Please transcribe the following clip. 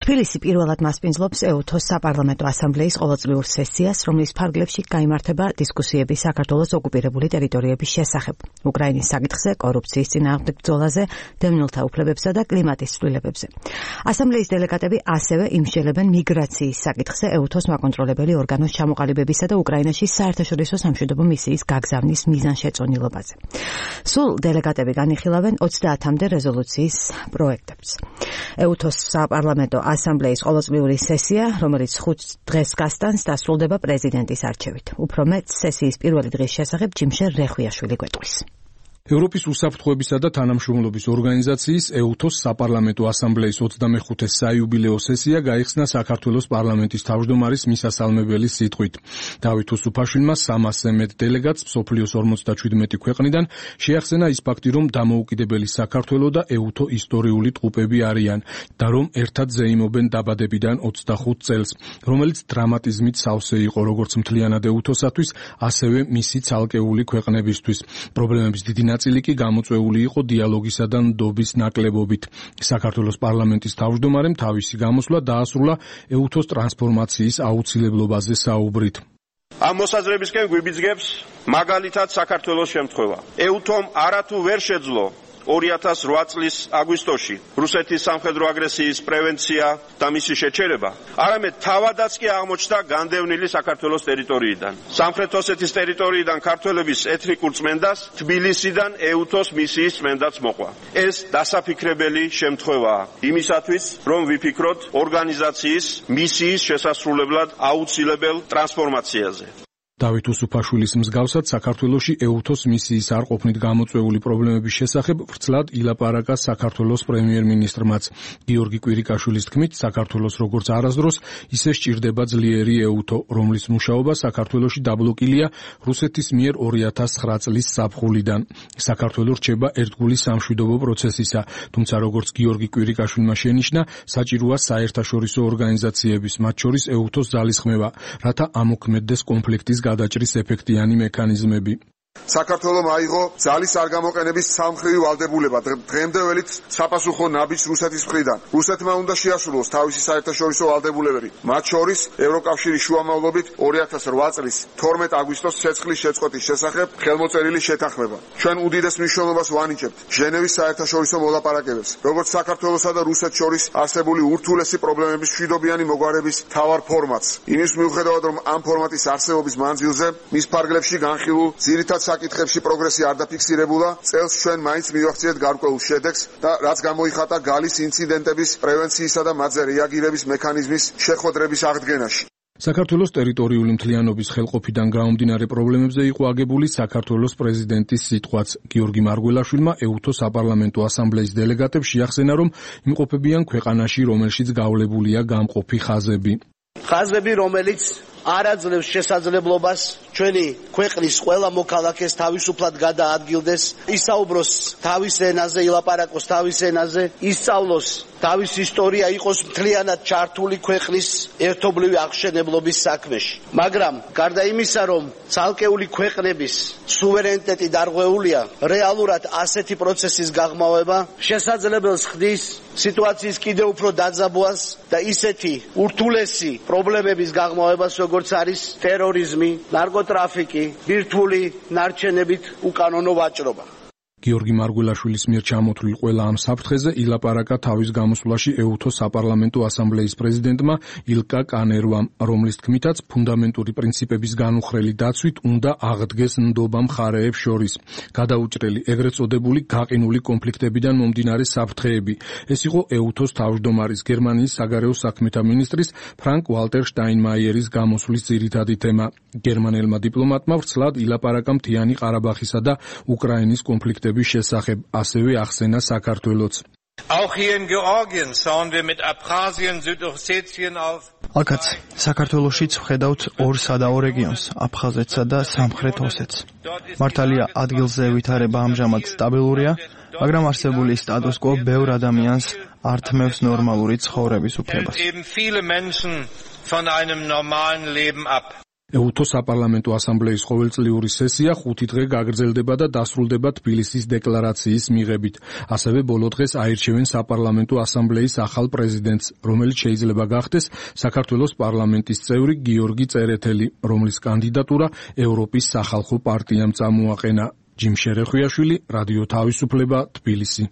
თბილისი პირველად მასპინძლობს EUTHO-ს საპარლამენტო ასამბლეის ყოველწლიურ სესიას, რომლის ფარგლებში გაიმართება დისკუსიები საქართველოს ოკუპირებული ტერიტორიების შესახებ, უკრაინის საკითხზე, კორუფციის წინააღმდეგ ბრძოლაზე, დევნილთა უფლებებსა და კლიმატის ცვლილებებზე. ასამბლეის დელეგატები ასევე იმსჯელებენ მიგრაციის საკითხზე EUTHO-ს მაკონტროლებელი ორგანოს ჩამოყალიბებისა და უკრაინაში საერთაშორისო სამშვიდობო მისიის გაგზავნის მიზანშეწონილობაზე. სულ დელეგატები განიხილავენ 30-მდე რეზოლუციის პროექტებს. EUTHO-ს საპარლამენტო ასამბლეის ყოველწლიური სესია, რომელიც 5 დღეს გასტანს, დასრულდება პრეზიდენტის არჩევით. უფრო მეტ სესიის პირველი დღის შესახებ ჯიმშე რეხვიაშვილი გვეტყვის. ევროპის უსაფრთხოებისა და თანამშრომლობის ორგანიზაციის EUTHO-ს საპარლამენტო ასამბლეის 25-ე საიუბილეო სესია გაიხსნა საქართველოს პარლამენტის თავმჯდომარის მისასალმებელი სიტყვით. დავით უსუფაშვილმა 300-ზე მეტ დელეგატს მსოფლიოს 57 ქვეყნიდან შეახსენა ის ფაქტი, რომ დამოუკიდებელი საქართველო და EUTHO ისტორიული ტყუპები არიან და რომ ერთად ზეიმობენ დაბადებიდან 25 წელს, რომელიც დრამატიზმით სავსე იყო როგორც მთლიანად EUTHO-სათვის, ასევე მისი ცალკეული ქვეყნებისთვის. პრობლემების დიდი ნაწილი კი გამოწვეული იყო დიალოგისა და ნდობის ნაკლებობით. საქართველოს პარლამენტის თავმჯდომარემ თავისი გამოსვლა დაასრულა EUTHO-ს ტრანსფორმაციის აუცილებლობაზე საუბრით. ამ მოსაზრებისკენ გვიბიძგებს მაგალითად საქართველოს შემთხვევა. EUTHO-მ არათუ ვერ შეძლო 2008 წლის აგვისტოში რუსეთის სამხედრო აგრესიის პრევენცია და მისი შეჩერება, არამედ თავადაც კი აღმოჩნდა განდევნილი საქართველოს ტერიტორიიდან. სამხრეთ ოსეთის ტერიტორიიდან ქართველების ეთნიკურ წმენდას თბილისიდან EUTHO-ს მისიის წმენდაც მოყვა. ეს დასაფიქრებელი შემთხვევაა იმისათვის, რომ ვიფიქროთ ორგანიზაციის მისიის შესასრულებლად აუცილებელ ტრანსფორმაციაზე. დავით უსუფაშვილის მსგავსად საქართველოში EUTHO-ს მისიის არ ყოფნით გამოწვეული პრობლემების შესახებ ვრცლად ილაპარაკა საქართველოს პრემიერ-მინისტრმაც. გიორგი კვირიკაშვილის თქმით, საქართველოს როგორც არასდროს ისე სჭირდება ძლიერი EUTHO, რომლის მუშაობა საქართველოში დაბლოკილია რუსეთის მიერ 2009 წლის ზაფხულიდან. საქართველო რჩება ერთგული სამშვიდობო პროცესისა, თუმცა როგორც გიორგი კვირიკაშვილმა შენიშნა, საჭიროა საერთაშორისო ორგანიზაციების, მათ შორის EUTHO-ს ძალისხმევა, რათა ამოქმედდეს კონფლიქტის გადაჭრის ეფექტიანი მექანიზმები. საქართველომ აიღო ძალის არ გამოყენების სამმხრივი ვალდებულება დღემდეველით საპასუხო ნაბიჯს რუსეთის მხრიდან. რუსეთმა უნდა შეასრულოს თავისი საერთაშორისო ვალდებულებები, მათ შორის ევროკავშირის შუამავლობით 2008 წლის 12 აგვისტოს ცეცხლის შეწყვეტის შესახებ ხელმოწერილი შეთანხმება. ჩვენ უდიდეს მნიშვნელობას ვანიჭებთ ჟენევის საერთაშორისო მოლაპარაკებებს, როგორც საქართველოსა და რუსეთს შორის არსებული ურთულესი პრობლემების მშვიდობიანი მოგვარების მთავარ ფორმატს. იმის მიუხედავად, რომ ამ ფორმატის არსებობის მანძილზე მის ფარგლებში განხილულ ძირითად საკითხებში პროგრესი არ დაფიქსირებულა, წელს ჩვენ მაინც მივახციეთ გარკვეულ შედეგს და რაც გამოიხატა გალის ინციდენტების პრევენციისა და მათზე რეაგირების მექანიზმის შეხვედრების აღდგენაში. საქართველოს ტერიტორიული მთლიანობის ხელყოფიდან გამომდინარე პრობლემებზე იყო აგებული საქართველოს პრეზიდენტის სიტყვაც. გიორგი მარგველაშვილმა EUTHO საპარლამენტო ასამბლეის დელეგატებს შეახსენა, რომ იმყოფებიან ქვეყანაში, რომელშიც გავლებულია გამყოფი ხაზები. ხაზები, რომელიც არ აძლევს შესაძლებლობას ჩვენი ქვეყნის ყველა მოქალაქეს თავისუფლად გადაადგილდეს, ისაუბროს თავის ენაზე, ილაპარაკოს თავის ენაზე, ისწავლოს თავის ისტორია, იყოს მთლიანად ჩართული ქვეყნის ერთობლივი აღშენებლობის საქმეში. მაგრამ გარდა იმისა, რომ ცალკეული ქვეყნების სუვერენიტეტი დარღვეულია, რეალურად ასეთი პროცესის გაღრმავება შესაძლებელს ხდის სიტუაციის კიდევ უფრო დაძაბვას და ისეთი ურთულესი პრობლემების გაღრმავებას, როგორც არის ტერორიზმი, ნარკოტრაფიკი, ბირთვული ნარჩენებით უკანონო ვაჭრობა. გიორგი მარგველაშვილის მიერ ჩამოთვლილ ყველა ამ საფრთხეზე ილაპარაკა თავის გამოსვლაში EUTHO საპარლამენტო ასამბლეის პრეზიდენტმა ილკა კანერვამ, რომლის თქმითაც ფუნდამენტური პრინციპების განუხრელი დაცვით უნდა აღდგეს ნდობა მხარეებს შორის. გადაუჭრელი ეგრეთ წოდებული გაყინული კონფლიქტებიდან მომდინარე საფრთხეები. ეს იყო EUTHO-ს თავმჯდომარის გერმანიის საგარეო საქმეთა მინისტრის ფრანკ ვალტერ შტაინმაიერის გამოსვლის ძირითადი თემა. გერმანელმა დიპლომატმა ვრცლად ილაპარაკა მთიანი ყარაბაღისა და უკრაინის კონფლიქტების შესახებ, ასევე ახსენა საქართველოც. Auch hier in Georgien schauen wir mit Abkhazien, Südossetien auf. Akats, საქართველოშიც ვხედავთ ორ სადაო რეგიონს, აფხაზეთსა და სამხრეთ ოსეთს. მართალია, ადგილზე ვითარება ამჟამად სტაბილურია, მაგრამ არსებული სტატუს კო ბევრ ადამიანს ართმევს ნორმალური ცხოვრების უფლებას. Eben viele Menschen von einem normalen Leben ab. ეუთო საპარლამენტო ასამბლეის ყოველწლიური სესია 5 დღე გაგრძელდება და დასრულდება თბილისის დეკლარაციის მიღებით. ასევე ბოლო დღეს აირჩევენ საპარლამენტო ასამბლეის ახალ პრეზიდენტს, რომელიც შეიძლება გახდეს საქართველოს პარლამენტის წევრი გიორგი წერეთელი, რომლის კანდიდატურა ევროპის სახალხო პარტიამ წამოაყენა. ჯიმ შერეხვიაშვილი, რადიო თავისუფლება, თბილისი.